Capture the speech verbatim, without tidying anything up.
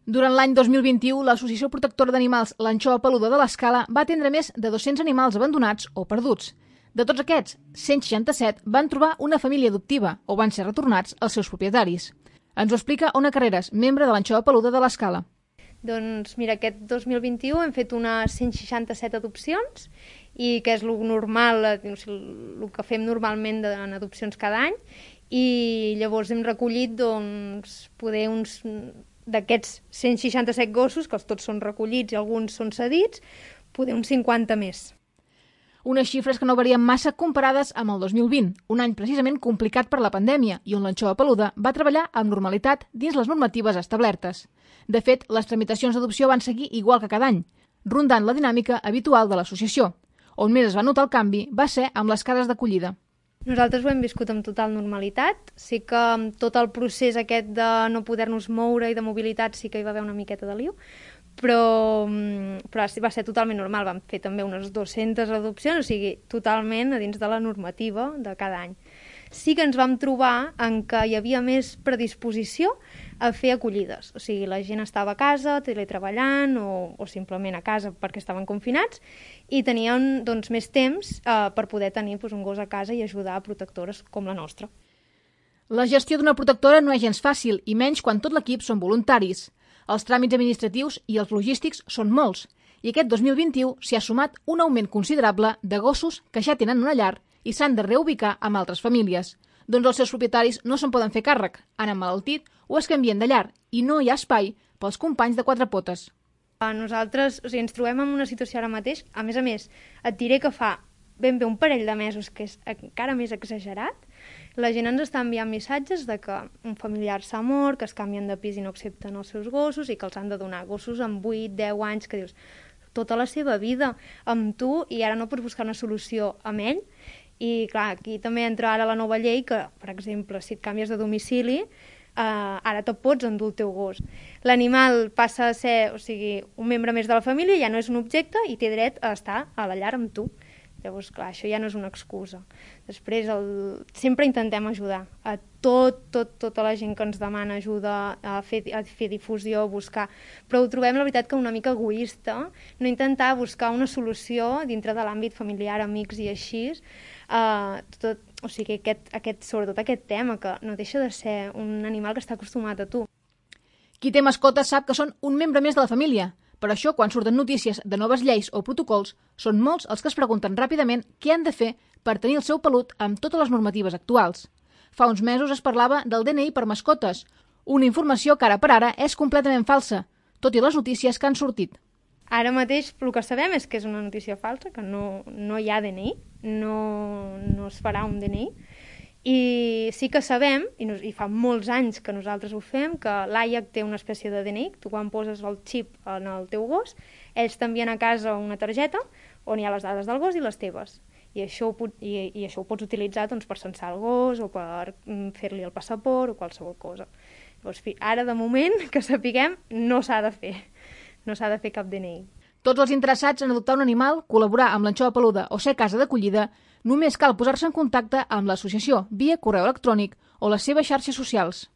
Durant l'any dos mil vint-i-u, l'Associació Protectora d'Animals L'Anxova Peluda de l'Escala va atendre més de dos-cents animals abandonats o perduts. De tots aquests, cent seixanta-set van trobar una família adoptiva o van ser retornats als seus propietaris. Ens ho explica Ona Carreras, membre de l'Anxova Peluda de l'Escala. Doncs mira, aquest dos mil vint-i-u hem fet unes cent seixanta-set adopcions i que és el normal, el que fem normalment en adopcions cada any, i llavors hem recollit doncs, poder uns d'aquests cent seixanta-set gossos, que tots són recollits i alguns són cedits, poder uns cinquanta més. Unes xifres que no varien massa comparades amb el dos mil vint, un any precisament complicat per la pandèmia i on l'Anxova Peluda va treballar amb normalitat dins les normatives establertes. De fet, les tramitacions d'adopció van seguir igual que cada any, rondant la dinàmica habitual de l'associació. On més es va notar el canvi va ser amb les cases d'acollida. Nosaltres ho hem viscut amb total normalitat. Sí que amb tot el procés aquest de no poder-nos moure i de mobilitat sí que hi va haver una miqueta de lío, però, però va ser totalment normal. Vam fer també unes dues-centes adopcions, o sigui, totalment a dins de la normativa de cada any. Sí que ens vam trobar en què hi havia més predisposició a fer acollides. O sigui, la gent estava a casa, teletreballant o, o simplement a casa perquè estaven confinats i tenien doncs, més temps eh, per poder tenir doncs, un gos a casa i ajudar a protectores com la nostra. La gestió d'una protectora no és gens fàcil, i menys quan tot l'equip són voluntaris. Els tràmits administratius i els logístics són molts, i aquest dos mil vint-i-u s'hi ha sumat un augment considerable de gossos que ja tenen una llar i s'han de reubicar amb altres famílies. Doncs els seus propietaris no se'n poden fer càrrec, han emmalaltit o es canvien de llar i no hi ha espai pels companys de quatre potes. Nosaltres o sigui, ens trobem en una situació ara mateix, a més a més, et diré que fa ben bé un parell de mesos, que és encara més exagerat, la gent ens està enviant missatges de que un familiar s'ha mort, que es canvien de pis i no accepten els seus gossos i que els han de donar gossos amb vuit deu anys, que dius tota la seva vida amb tu i ara no pots buscar una solució amb ell. I clar, aquí també entra ara la nova llei que, per exemple, si et canvies de domicili, eh, ara te pots endur el teu gos. L'animal passa a ser, o sigui, un membre més de la família, ja no és un objecte i té dret a estar a la llar amb tu. Llavors, clar, això ja no és una excusa. Després, el... sempre intentem ajudar a tot, tot, tota la gent que ens demana ajuda, a fer, a fer difusió, a buscar... Però ho trobem, la veritat, que una mica egoista, no intentar buscar una solució dintre de l'àmbit familiar, amics i així, uh, tot, o sigui, aquest, aquest, sobretot aquest tema, que no deixa de ser un animal que està acostumat a tu. Qui té mascotes sap que són un membre més de la família. Per això, quan surten notícies de noves lleis o protocols, són molts els que es pregunten ràpidament què han de fer per tenir el seu pelut amb totes les normatives actuals. Fa uns mesos es parlava del D N I per mascotes, una informació que ara per ara és completament falsa, tot i les notícies que han sortit. Ara mateix el que sabem és que és una notícia falsa, que no, no hi ha D N I, no, no es farà un D N I, i sí que sabem, i, nos, i fa molts anys que nosaltres ho fem, que l'A I A C té una espècie de D N I, tu quan poses el xip en el teu gos, ells t'envien a casa una targeta on hi ha les dades del gos i les teves. I això ho, i, i això ho pots utilitzar doncs, per censar el gos o per fer-li el passaport o qualsevol cosa. Llavors, ara, de moment, que sapiguem, no s'ha de fer. No s'ha de fer cap D N I. Tots els interessats en adoptar un animal, col·laborar amb l'Anxova Peluda o ser casa d'acollida, només cal posar-se en contacte amb l'associació via correu electrònic o les seves xarxes socials.